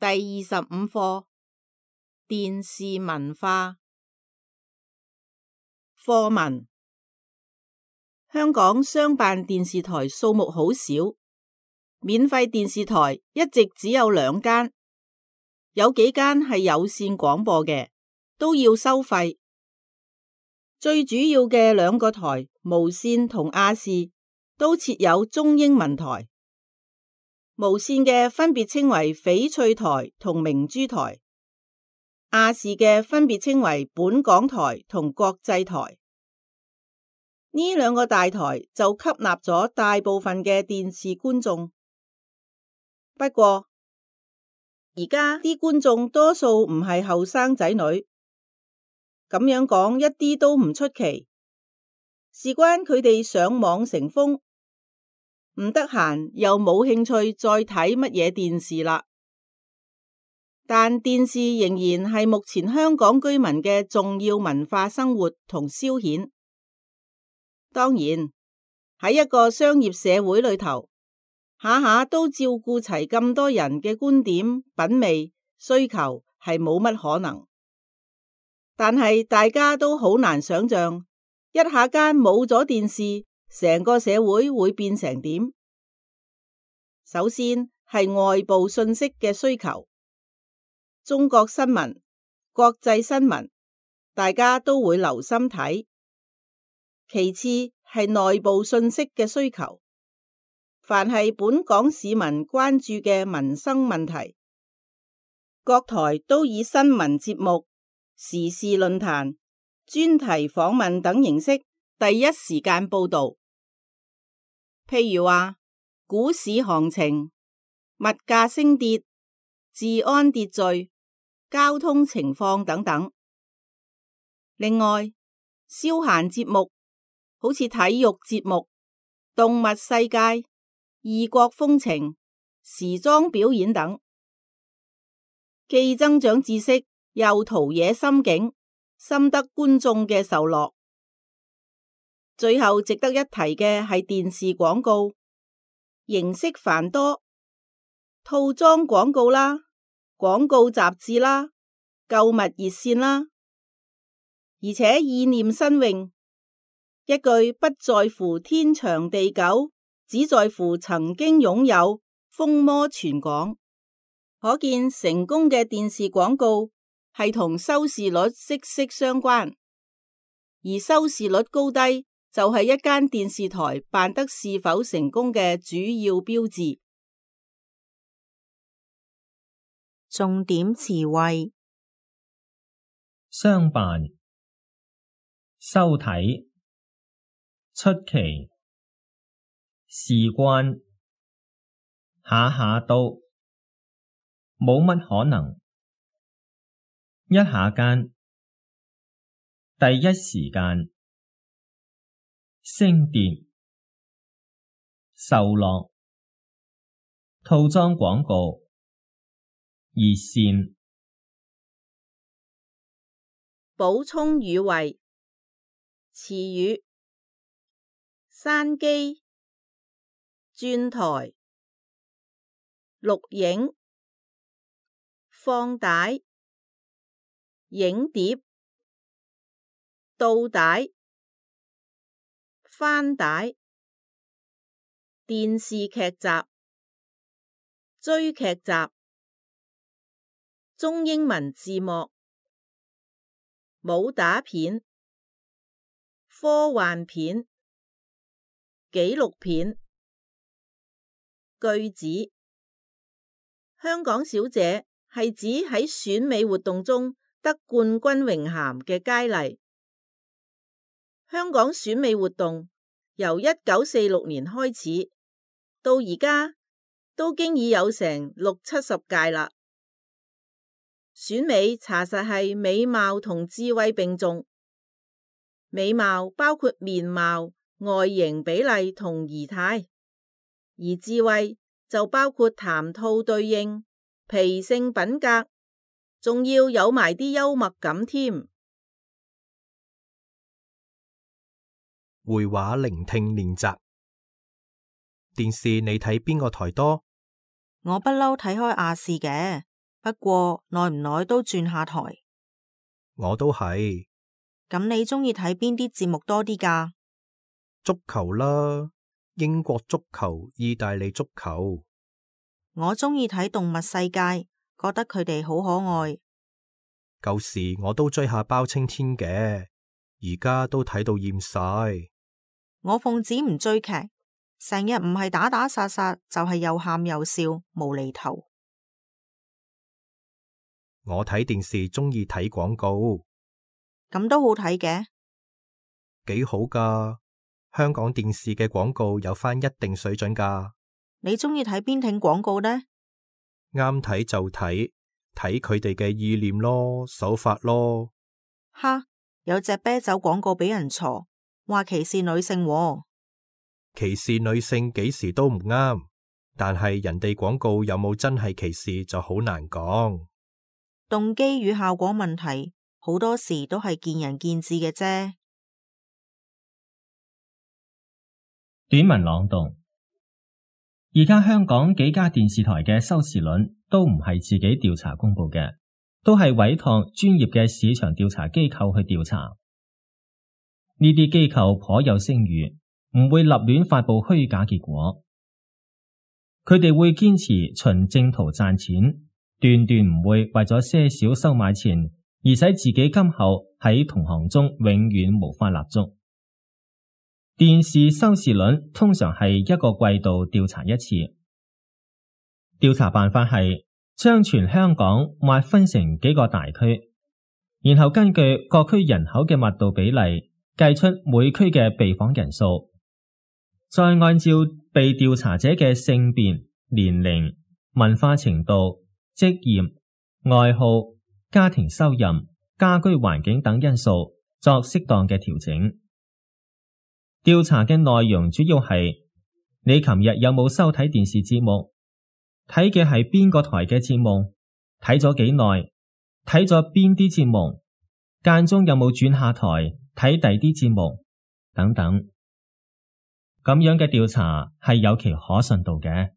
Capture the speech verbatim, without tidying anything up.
第二十五課電視文化課文。香港商辦電視台數目好少，免費電視台一直只有兩間，有幾間係有線廣播嘅，都要收費。最主要嘅兩個台，無線同亞視，都設有中英文台。無線嘅分別稱為翡翠台同明珠台，亞視嘅分別稱為本港台同國際台。呢兩個大台就吸納咗大部分嘅電視觀眾。不過而家啲觀眾多數唔係後生仔女，咁樣講一啲都唔出奇，事關佢哋上網成風，唔得閒又冇興趣再睇乜嘢電視啦。但電視仍然係目前香港居民嘅重要文化生活同消遣。當然喺一個商業社會裏頭，下下都照顧齊咁多人嘅觀點、品味、需求係冇乜可能。但係大家都好難想象，一下間冇咗電視，成個社會會變成點？首先係外部信息嘅需求，中國新聞、國際新聞，大家都會留心睇。其次係內部信息嘅需求，凡係本港市民關注嘅民生問題，各台都以新聞節目、時事論壇、專題訪問等形式第一時間報道。譬如話股市行情、物價升跌、治安秩序、交通情況等等。另外，消閒節目好似體育節目、動物世界、異國風情、時裝表演等，既增長知識，又陶冶心境，深得觀眾嘅受落。最後值得一提嘅係電視廣告，形式繁多，套裝廣告啦，廣告雜誌啦，購物熱線啦，而且意念新穎，一句不在乎天長地久，只在乎曾經擁有，風靡全港。可見成功嘅電視廣告係同收視率息息相關，而收視率高低就係一間電視台辦得是否成功嘅主要標誌。重點詞彙：商辦、收睇、出奇、事關、下下都、冇乜可能、一下間、第一時間、升跌、受落、套裝廣告、熱線。補充語彙：詞語：山機、轉台、錄影、放帶、影碟、倒帶、翻帶、電視劇集、追劇集、中英文字幕、武打片、科幻片、紀錄片。句子：香港小姐係指喺選美活動中得冠軍榮銜嘅佳麗。香港選美活動由一九四六年開始，到而家都經已有成六七十屆啦。選美查實係美貌同智慧並重，美貌包括面貌、外形比例同儀態，而智慧就包括談吐對應、脾性品格，仲要有埋啲幽默感添。會話聆聽練習。電視你睇邊個台多？我不嬲睇開亞視嘅。不過耐唔耐都轉下台。我都係。咁你鍾意睇邊啲節目多啲㗎？足球啦，英國足球、意大利足球。我鍾意睇動物世界，覺得佢哋好可愛。舊時我都追下包青天嘅，而家都睇到厭晒。我奉旨唔追劇，成日唔係打打殺殺，就係又喊又笑，無厘頭。我睇電視鍾意睇廣告。咁都好睇嘅，幾好㗎。香港電視嘅廣告有返一定水準㗎。你鍾意睇邊挺廣告呢？啱睇就睇，睇佢哋嘅意念咯，手法咯。哈，有隻啤酒廣告俾人鋤，話歧視女性喎。歧視女性幾時都唔啱，但係人哋廣告有冇真係歧視就好難講。動機與效果問題，好多時都係見仁見智嘅啫。短文朗讀。而家香港幾家電視台嘅收視率都唔係自己調查公布嘅，都係委託專業嘅市場調查機構去調查。呢啲機構頗有聲譽，唔會立亂發佈虛假結果。佢哋會堅持循正途賺錢，斷斷唔會為咗些少收買錢而使自己今後喺同行中永遠無法立足。電視收視率通常係一個季度調查一次。調查辦法係將全香港劃分成幾個大區，然後根據各區人口嘅密度比例計出每區嘅被訪人數，再按照被調查者嘅性別、年齡、文化程度、職業、愛好、家庭收入、家居環境等因素作適當嘅調整。調查嘅內容主要係你琴日有冇收睇電視節目，睇嘅係邊個台嘅節目，睇咗幾耐，睇咗邊啲節目，間中有冇轉下台睇第啲節目等等。咁樣嘅調查係有其可信度嘅。